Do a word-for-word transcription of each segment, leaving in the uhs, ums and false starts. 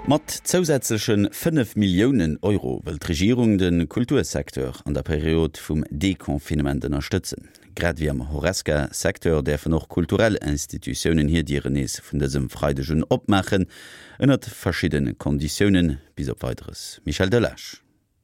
Mat zousätzleche fënnef Milliounen Euro wëll d'Regierung de Kultursecteur an der Period vum Deconfinement ënnerstëtzen. Grad ewéi am Horesca-Secteur däerfen och kulturell Institutiounen hir Dieren nees vun dësem Freideg un opmaachen, ënnert verschiddene Konditiounen, bis op Weideres. Michel Delage.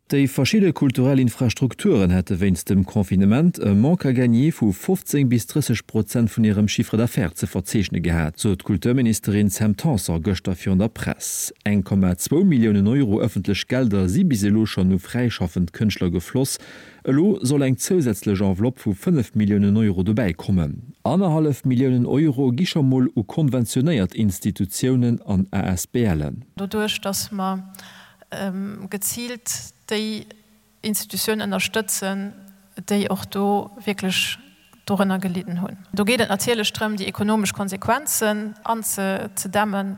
Déi verschidde kulturell Infrastrukturen hätte wéinst dem Confinement e Manque à gagner vu fofzéng bis drësseg Prozent vun hirem Chiffre d'affaires ze verzeechne gehat, sot d'Kulturministerin Sam Tanson gëschter virun der Press. Eng Komma zwou Milliounen Euro ëffentlech Gelder si bis elo schonn u fräischaffend Kënschtler gefloss. Elo soll eng zousätzlech Enveloppe vu fënnef Milliounen Euro dobäi kommen. Annerhallef Milliounen Euro gi scho mol u konventionéiert Institutiounen an ASBLen. Doduerch, dass mer geziilt déi Institutioun ënnerstëtzen, déi och do wierklech dorënner gelidden hunn. Do geet et natierlech drëm, déi ekonomesch Konsequenzen anzedämmen.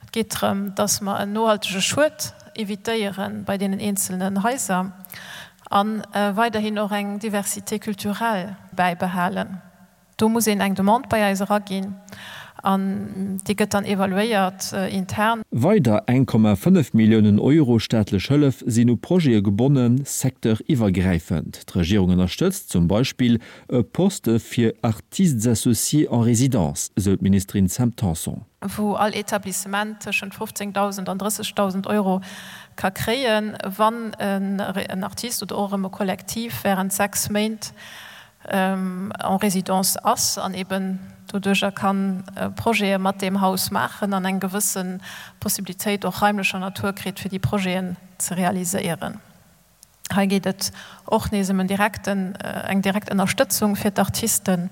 Et geet drëm, dass mer en nohaltege Schued evitéiere bei deenen eenzelnen Haiser a weiderhin och eng Diversité culturelle bäibehalen. Do muss een eng Demande bei eis eraginn an déi gëtt dann evaluéiert intern. Weider eng Komma fënnef Milliounen Euro staatlech Hëllef sinn u Projete gebonnen, secteuriwwergräifend. D'Regierung ënnerstëtzt zum Beispill e Poste fir Artistes associés en résidence, esou d'Ministerin Sam Tanson. Wou all Etablissement tëschent fofzéngdausend an drëssegdausend Euro ka kréien, wann en Artist oder och erëm e Kollektiv wärend sechs Méint en résidence ass an eben doduercher ka Projete mat deem Haus maachen an eng gewësse Possibilitéit och raimlecher Natur kritt, fir déi Projeten ze realiséieren. Hei geet et och nees ëm en direkten, eng direkt Ënnerstëtzung fir d'Artisten,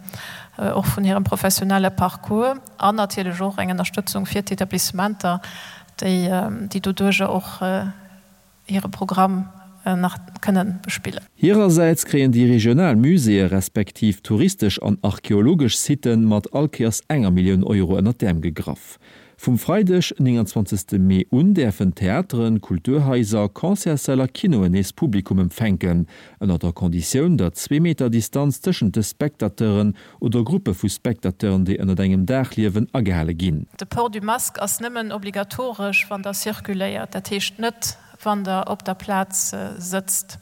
och vun hirem professionelle Parcours an natierlech och eng Ënnerstëtzung fir d'Etablissementer, déi, déi doduercher och hire Programm nach kënnen bespillen. Hirersäits kréien déi regional Muséeë respektiv touristesch an archeologesch Sitte mat all Kéiers enger Millioun Euro ënnert d'Äerm gegraff. Vum Freideg, nénganzwanzegste Mee un däerfen Theateren, Kulturhaiser, Concertssäll a Kinoen nees Publikum empfänken, ënner der Konditioun, datt zwee Meter Distanz tëschent de Spectateuren oder Gruppe vu Spectateuren, déi ënnert engem Daach liewen, agehale ginn. De Port du masque ass nëmmen obligatoresch, wann Der circuléiert, dat heescht net, wann Der op der Plaz sëtzt.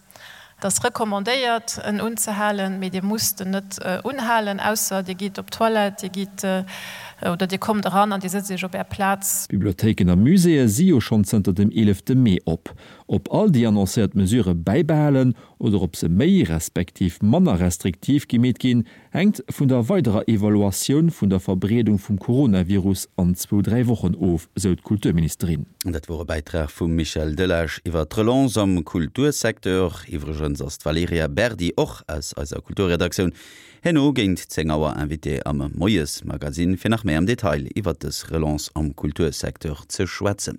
Et ass recommandéiert, en unzehalen, mee Dir musst en net unhalen, ausser Dir gitt op d'Toilette, Dir gitt oder Dir kommt eran an Dir sëtzt Iech op Är Plaz. Bibliothéiken a Muséeë si jo schonn zënter dem eelefte Mee op. Ob all déi annoncéiert Mesurë bäibehalen oder ob se méi respektiv manner restriktiv gemeet ginn, hänkt vun der weiderer Evaluatioun vun der Verbreedung vum Coronavirus an zwou, dräi Wochen of, sou d'Kulturministerin. Dat wor e Bäitrag vum Michel Delage iwwer d'Relance am Kultursecteur. Iwwregens ass d'Valerija Berdi och aus eiser Kulturredaktioun herno géint zéng Auer Invitée am Moiesmagazin, fir nach méi am Detail iwwer dës Relance am Kultursecteur ze schwätzen.